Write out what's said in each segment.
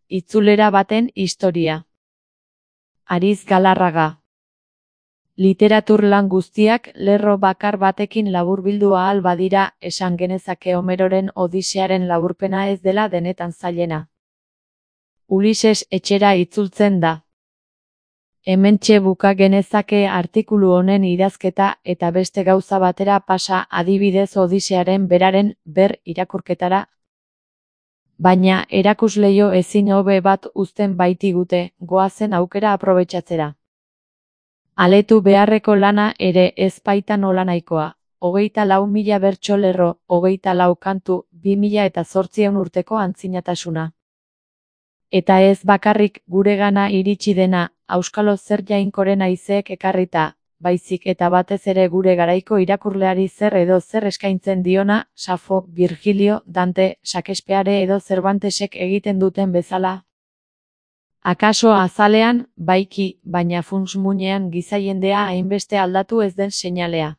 itzulera baten historia. Ariz Galarraga. Literatur lan guztiak lerro bakar batekin laburbildu ahal badira, esan genezake Homeroren Odisearen laburpena ez dela denetan zailena. Ulises etxera itzultzen da. Hementxe buka genezake artikulu honen idazketa eta beste gauza batera pasa, adibidez Odisearen beraren irakurketara. Baina erakusleio ezin hobe bat uzten baitigute, goazen aukera aprobetxatzera. Aletu beharreko lana ere ez baita nolanahikoa, 24.000 bertso lerro, 24 kantu, 2008 urteko antzinatasuna. Eta ez bakarrik guregana iritsi dena, auskalo zer jainkoren haizeek ekarrita, baizik eta batez ere gure garaiko irakurleari zer edo zer eskaintzen diona, Safo, Virgilio, Dante, Shakespeare edo Cervantesek egiten duten bezala. Akaso azalean, baiki, baina funts-muinean gizaiendea hainbeste aldatu ez den seinalea.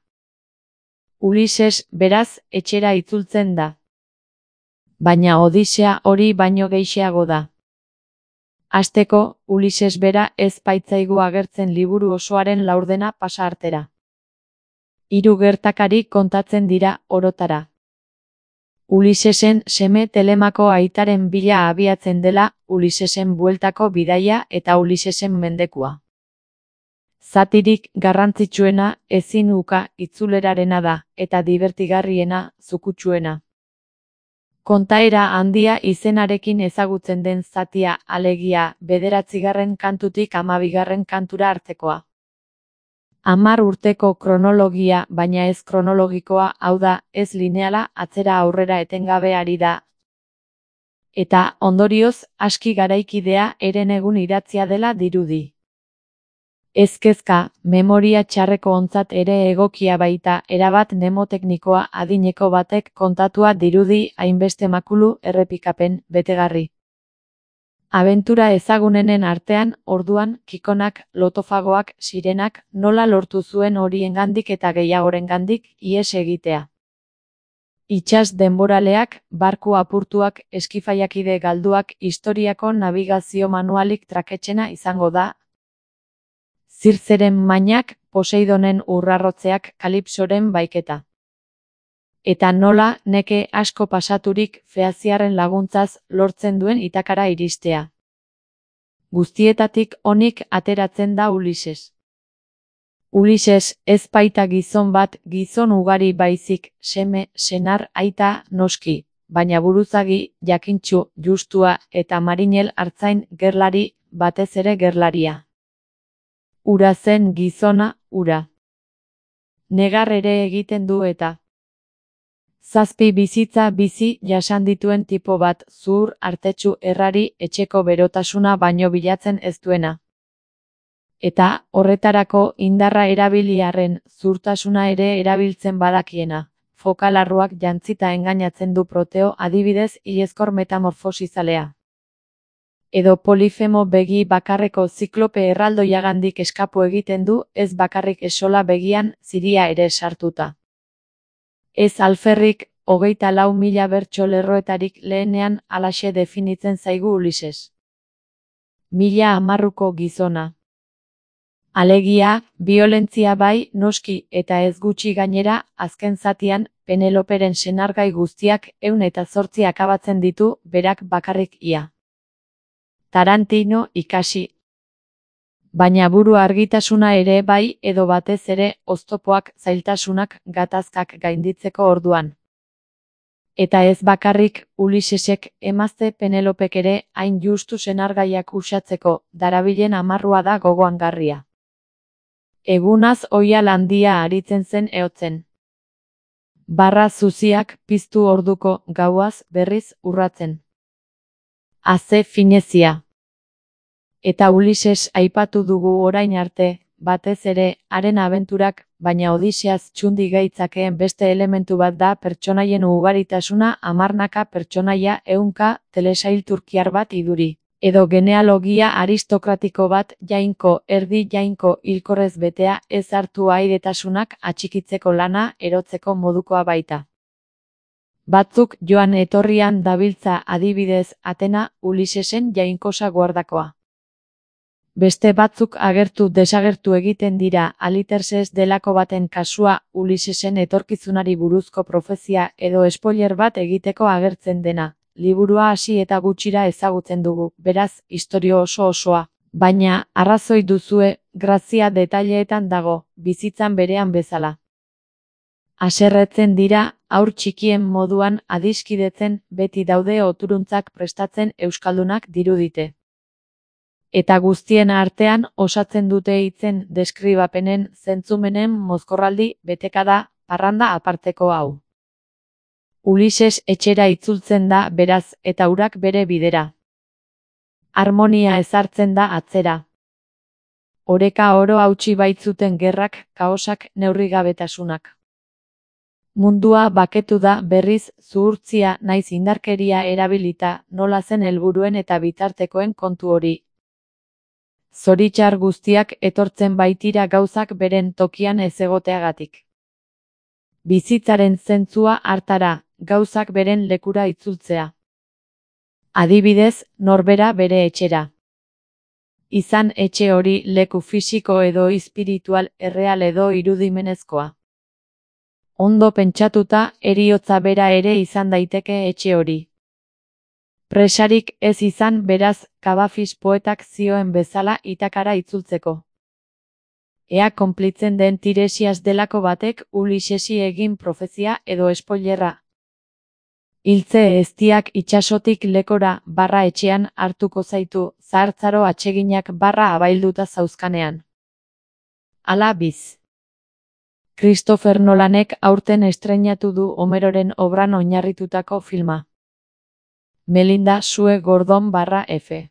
Ulises, beraz, etxera itzultzen da. Baina Odisea hori baino gehixeago da. Hasteko, Ulises bera ez baitzaigu agertzen liburu osoaren laurdena pasa artera. 3 gertakari kontatzen dira orotara. Ulisesen seme Telemako aitaren bila abiatzen dela, Ulisesen bueltako bidaia eta Ulisesen mendekua. Zatirik garrantzitsuena ezin uka itzulerarena da, eta dibertigarriena zukutsuena. Kontaera handia izenarekin ezagutzen den zatia, alegia, 9. kantutik 12. kantura artekoa. 10 urteko kronologia, baina ez kronologikoa, hau da, ez lineala, atzera aurrera etengabe ari da. Eta, ondorioz, aski garaikidea herenegun idatzia dela dirudi. Ezkezka, memoria txarreko ontzat ere egokia baita, erabat mnemoteknikoa adineko batek kontatua dirudi hainbeste makulu errepikapen betegarri. Abentura ezagunenen artean, orduan, kikonak, lotofagoak, sirenak, nola lortu zuen horiengandik eta gehiagorengandik ihes egitea. Itsas denboraleak, barku apurtuak, eskifaiakide galduak, historiako nabigazio manualik traketsena izango da. Zirtzeren mainak, Poseidonen urrarrotzeak, Kalipsoren baiketa. Eta nola, neke asko pasaturik, Feaziarren laguntzaz, lortzen duen itakara iristea. Guztietatik onik ateratzen da Ulises. Ulises ez baita gizon bat, gizon ugari baizik, seme, senar, aita, noski, baina buruzagi, jakintsu, justua, eta marinel artzain gerlari, batez ere gerlaria. Ura zen gizona, ura. Negar ere egiten du eta. 7 bizitza bizi jasan dituen tipo bat, zuhur, artetsu, errari, etxeko berotasuna baino bilatzen ez duena. Eta, horretarako, indarra erabiliarren, zuhurtasuna ere erabiltzen badakiena. Fokalarruak jantzita engainatzen du Proteo, adibidez, hilezkor metamorfosizalea. Edo Polifemo begi bakarreko ziklope erraldoiagandik eskapu egiten du, ez bakarrik esola begian, ziria ere sartuta. Ez alferrik, 24.000 bertso lerroetarik lehenean halaxe definitzen zaigu Ulises. 1010ko gizona. Alegia, biolentzia bai, noski, eta ez gutxi gainera, azken zatian, Peneloperen senargai guztiak 108 akabatzen ditu, berak bakarrik ia. Tarantino ikasi. Baina buru argitasuna ere bai, edo batez ere, oztopoak, zailtasunak, gatazkak gainditzeko orduan. Eta ez bakarrik, Ulisesek, emazte Penelopek ere, hain justu senargaiak uxatzeko, darabilen amarrua da gogoangarria. Egunaz oihal handia aritzen zen ehotzen. Barra zuziak piztu orduko, gauaz, berriz, urratzen. Aze finezia. Eta Ulises aipatu dugu orain arte, batez ere, haren abenturak, baina Odiseaz txundi gaitzakeen beste elementu bat da pertsonaien ugaritasuna, 10 pertsonaia, 100 telesail turkiar bat iduri. Edo genealogia aristokratiko bat, jainko, erdi jainko, hilkorrez betea, ez hartu aidetasunak atxikitzeko lana, erotzeko modukoa baita. Batzuk joan etorrian dabiltza, adibidez, Atena, Ulisesen jainkosa guardakoa. Beste batzuk agertu desagertu egiten dira, Aliterses delako baten kasua, Ulisesen etorkizunari buruzko profezia edo spoiler bat egiteko agertzen dena. Liburua hasi eta gutxira ezagutzen dugu, beraz, istorio oso-osoa. Baina, arrazoi duzue, grazia detaileetan dago, bizitzan berean bezala. Haserretzen dira, haur txikien moduan adiskidetzen, beti daude oturuntzak prestatzen euskaldunak dirudite. Eta guztien artean osatzen dute hitzen deskribapenen zentzumenen mozkorraldi betekada, parranda aparteko hau. Ulises etxera itzultzen da beraz eta urak bere bidera. Harmonia ezartzen da atzera. Oreka oro hautsi baitzuten gerrak, kaosak, neurrigabetasunak. Mundua baketu da berriz zuhurtzia naiz indarkeria erabilita, nola zen helburuen eta bitartekoen kontu hori. Zoritxar guztiak etortzen baitira gauzak beren tokian ez egoteagatik. Bizitzaren zentzua hartara, gauzak beren lekura itzultzea. Adibidez, norbera bere etxera. Izan etxe hori leku fisiko edo espiritual, erreal edo irudimenezkoa. Ondo pentsatuta, heriotza bera ere izan daiteke etxe hori. Presarik ez izan beraz, Kabafis poetak zioen bezala itakara itzultzeko. Ea konplitzen den Tiresias delako batek Ulisesi egin profezia edo spoilerra. Hiltze eztiak itsasotik lekora, barra etxean hartuko zaitu, zahartzaro atseginak barra abailduta zauzkanean. Ala biz. Christopher Nolanek aurten estreinatu du Homeroren obran oinarritutako filma. Melinda Sue Gordon /F.